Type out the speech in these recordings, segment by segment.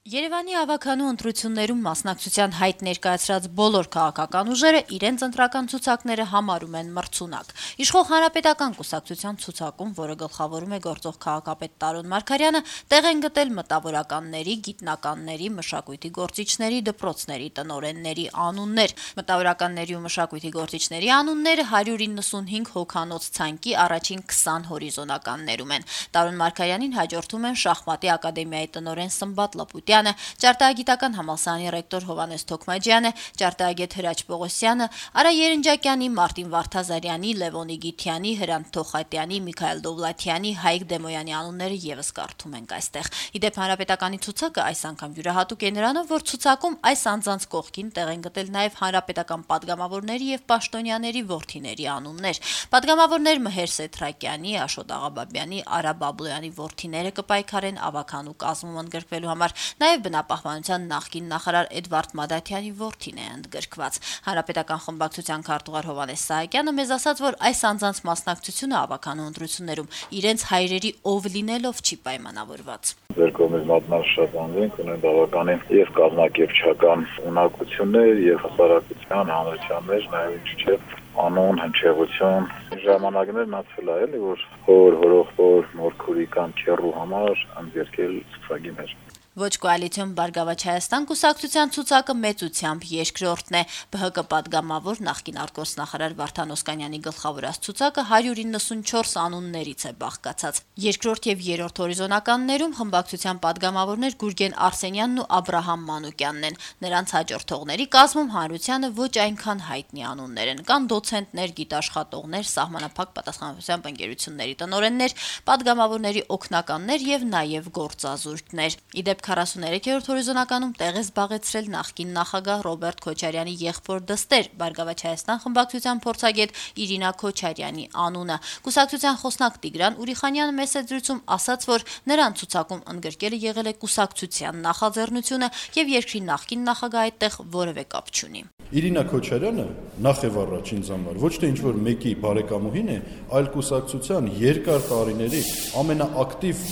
Երևանի ավականու ընտրություններում մասնակցության հայտ ներկայացրած բոլոր քաղաքական ուժերը իրենց ընտրական ցուցակները համարում են մրցունակ։ Իշխող Հանրապետական կուսակցության ցուցակում, որը գլխավորում է գործող քաղաքապետ Տարոն Մարգարյանը, տեղ են գտել մտավորականների, գիտնականների, մշակույթի գործիչների, դպրոցների տնօրենների անուններ։ Մտավորականների ու մշակույթի գործիչների անունները 195 հոգանոց ցանկի առաջին 20 հորիզոնականներում են։ Տարոն Մարգարյանին հաջորդում են Շախմատի ակադեմիայի տնօրեն Սմբատ Լապուտյանը, Ճարտարագիտական համալսարանի ռեկտոր Հովհաննես Թոքմաջյանը, ճարտարագետ Հրաչ Պողոսյանը, Արա Երնջակյանի, Մարտին Վարդազարյանի, Լևոնի Գիթյանի, Հրանտ Թոխատյանի, Միքայել Դովլաթյանի, Հայկ Դեմոյանի անունները եւս կարդում ենք այստեղ։ Իդեպ Հանրապետականի ցուցակը այս անգամ յուրահատուկ է նրանով, որ ցուցակում այս անձանց կողքին տեղ են գտել նաեւ հանրապետական падգամավորների եւ պաշտոնյաների որդիների անուններ։ Падգամավորներ Մհեր Սեթրակյանի, Աշոտ Աղաբաբյանի, Արա Բաբլոյանի որդիները կպայքարեն ավականու կազմում ընդգրկվելու համար։ Նաև բնապահպանության նախկին նախարար Էդվարդ Մադաթյանի որդին է ընդգրկված։ Հանրապետական խմբակցության քարտուղար Հովհաննես Սահակյանը մեզ ասաց, որ այս անձանց մասնակցությունը ավականու ընտրություններում իրենց հայրերի ով լինելով չի պայմանավորված։ Ձեր կողմից մատնաշատանձ ենք ունեն բավականին եւ կազմակերպչական ունակություններ եւ հասարակության հանրության մեջ նաեւ ինչ չէ անոն հնչեղություն ժամանակներ նացվել է էլի որ հորողոր մորքուրի կամ քերու համար ընդգրկել ցուցակի մեջ։ Ոչ կոալիցիոն Բարգավաճ Հայաստան կուսակցության ցուցակը մեծությամբ երկրորդն է։ ԲՀԿ падգամավոր նախկին արտգործնախարար Վարդան Օսկանյանի գլխավորած ցուցակը 194 անուններից է բաղկացած։ Երկրորդ եւ երրորդ հորիզոնականներում խմբակցության падգամավորներ Գուրգեն Արսենյանն ու Աբրահամ Մանուկյանն են։ Նրանց հաջորդողների կազմում հանրությանը ոչ այնքան հայտնի անուններ են։ Կան դոցենտներ, գիտաշխատողներ, սահմանափակ պատասխանատվությամբ ընկերությունների տնօրեններ, падգամավորների օգնականներ եւ նաեւ գործազուրկներ։ Իդեպ 43-րդ հորիզոնականում տեղ է զբաղեցրել նախկին նախագահ Ռոբերտ Քոչարյանի եղբոր դստեր Բարգավաճ Հայաստան խմբակցության փորձագետ Իրինա Քոչարյանի անունը։ Կուսակցության խոսնակ Տիգրան Ուրիխանյանը մեծ զրույցում ասաց, որ նրան ցուցակում ընդգրկելը եղել է կուսակցության նախաձեռնությունը եւ երկրի նախկին նախագահ այդտեղ որևէ կապ չունի։ Իրինա Քոչարյանը նախ եւ առաջ ինձ համար ոչ թե ինչ-որ մեկի բարեկամուհին է, այլ կուսակցության երկար տարիների ամենաակտիվ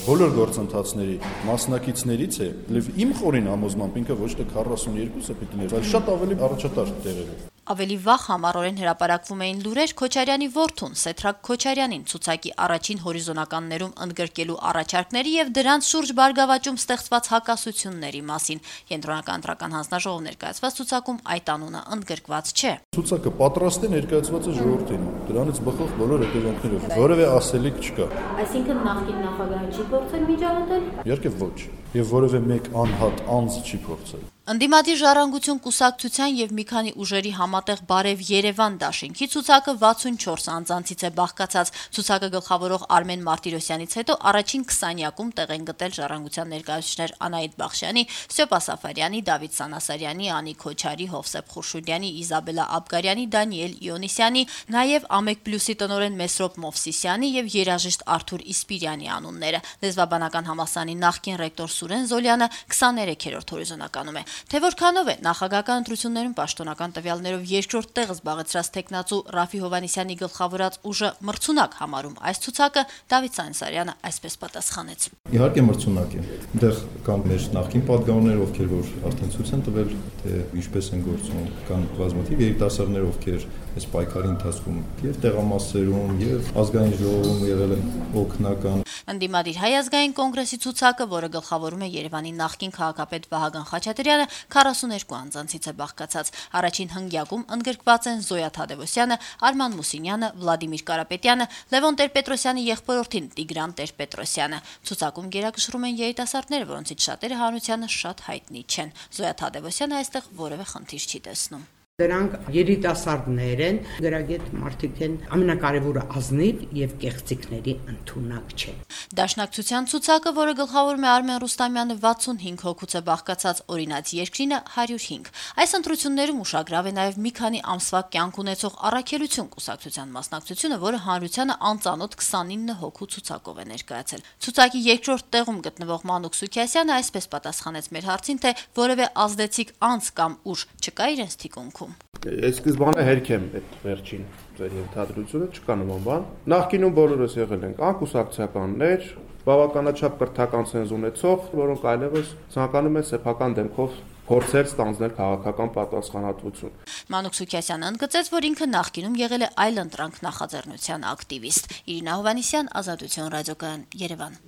բոլոր գործընթացների մասնակիցներից է։ Իմ խորին համոզմամբ ինքը ոչ թե 42-ը պիտի լինի, այլ շատ ավելի առաջատար տեղերով։ Ավելի վաղ համառորեն հրապարակվում էին լուրեր Քոչարյանի որդուն Սեթրակ Քոչարյանին ցուցակի առաջին հորիզոնականներում ընդգրկելու առաջարկների եւ դրանց շուրջ Բարգավաճում ստեղծված հակասությունների մասին։ Կենտրոնական ընտրական հանձնաժողով ներկայացված ցուցակում այդ անունը ընդգրկված չէ։ Ցուցակը պատրաստ է ներկայացված է ժողովրդին։ Դրանից բխող բոլոր հետևանքներով որևէ ասելիք չկա։ Այսինքն նախկին նախագահը չի փորձել միջամտել։ Իհարկե ոչ։ Եվ որևէ մեկ անհատ անձ չի փորձել։ Ընդդիմադիր ժառանգություն կուսակցության եւ մի քանի ուժերի համատեղ Բարև Երևան դաշինքի ցուցակը 64 անձանցից է բաղկացած։ Ցուցակը գլխավորող Արմեն Մարտիրոսյանից հետո առաջին 20-յակում տեղ են գտել ժառանգության ներկայացուցիչներ Անահիտ Բախշյանի, Ստեփ Ասաֆարյանի, Դավիթ Սանասարյանի, Անի Քոչարի, Հովսեփ Խուրշուդյանի, Իզաբելա Աբգարյանի, Դանիել Իոնիսյանի, նաեւ Ամեկ Պլյուսի տնօրեն Մեսրոպ Մովսիսյանի եւ երաժիշտ Արթուր Իսպիրյանի անունները։ Լեզվաբանական համալսարանի նախկին ռեկտոր Սուրեն Զոլյանը 23-րդ հորիզոնականում է։ Թե որքանով է նախագահական ընտրություններում պաշտոնական տվյալներով երկրորդ տեղը զբաղեցրած տեխնացու Ռաֆի Հովհաննիսյանի գլխավորած ուժը մրցունակ համարում այս ցուցակը, Դավիթ Սանասարյանը այսպես պատասխանեց։ Իհարկե մրցունակ է։ Այնտեղ կան մեր նախկին падգամավորներ, ովքեր որ արդեն ցույց են տվել, թե ինչպես են գործում, կան բազմաթիվ երիտասարդներ, ովքեր այս պայքարի ընթացքում եւ տեղամասերում եւ ազգային ժողովում եղել են օգնական։ Ընդդիմադիր Հայ ազգային կոնգրեսի ցուցակը, որը գլխավորում է Երևանի նախկին քաղաքապետ Վահագն Խաչատրյանը, 42 անձանցից է բաղկացած։ Առաջին հնգյակում ընդգրկված են Զոյա Թադևոսյանը, Արման Մուսինյանը, Վլադիմիր Կարապետյանը, Լևոն Տեր-Պետրոսյանի եղբորորդին Տիգրան Տեր-Պետրոսյանը։ Ցուցակում գերակշռում են երիտասարդները, որոնցից շատերը հանրությանը շատ հայտնի չեն։ Զոյա Թադևոսյանը այստեղ որևէ խնդիր չի տեսնում։ Դրանք երիտասարդներ են, գրագետ մարդիկ են, ամենակարևորը ազնիվ եւ կեղծիքների ընդունակ չեն։ Դաշնակցության ցուցակը, որը գլխավորում է Արմեն Ռուստամյանը, 65 հոգուց է բաղկացած, օրինաց երկրինը 105։ Այս ընտրություններում ուշագրավ է նաեւ մի քանի ամսվա կյանք ունեցող առաքելություն կուսակցության մասնակցությունը, որը հանրությանը անծանոթ 29 հոգու ցուցակով է ներկայացել։ Ցուցակի երկրորդ տեղում գտնվող Մանուկ Սուքիասյանը այսպես պատասխանեց մեր հարցին, թե որևէ ազդեցիկ անձ կամ ուժ չկա իրենց թիկունքում։ Այս սկզբանե հերք եմ այդ վերջին ձեր ենթադրությունը, չկա նման բան։ Նախկինում բոլորս եղել ենք անկուսակցականներ, բավականաչափ կրթական ցենզ ունեցող, որոնք այլևս ցանկանում են սեփական դեմքով փորձեր ստանձնել քաղաքական պատասխանատվություն։ Մանուկ Սուքիասյանը ընդգծեց, որ ինքը նախկինում եղել է այլընտրանք նախաձեռնության ակտիվիստ։ Իրինա Հովհաննիսյան, Ազատություն ռադիոկայան, Երևան։